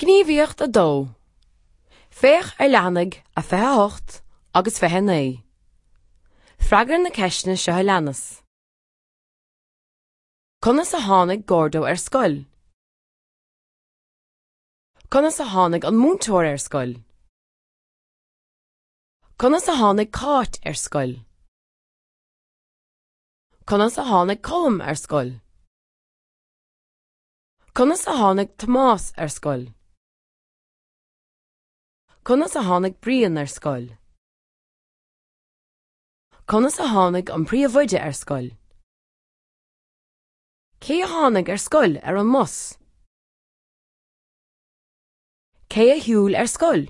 Gníomhaíocht 2. Féach ar leathanaigh a 28 agus 29. Freagair na ceisteanna seo a leanas. Conas a tháinig Gordo ar scoil? Conas a tháinig an múinteoir ar scoil? Conas a tháinig Cáit ar scoil? Conas a tháinig Colm ar scoil? Conas a tháinig Tomás ar scoil? Conas a tháinig Brian ar scoil? Conas a tháinig an príomhoide ar scoil? Cé a tháinig ar scoil ar an mbus? Cé a shiúil ar scoil?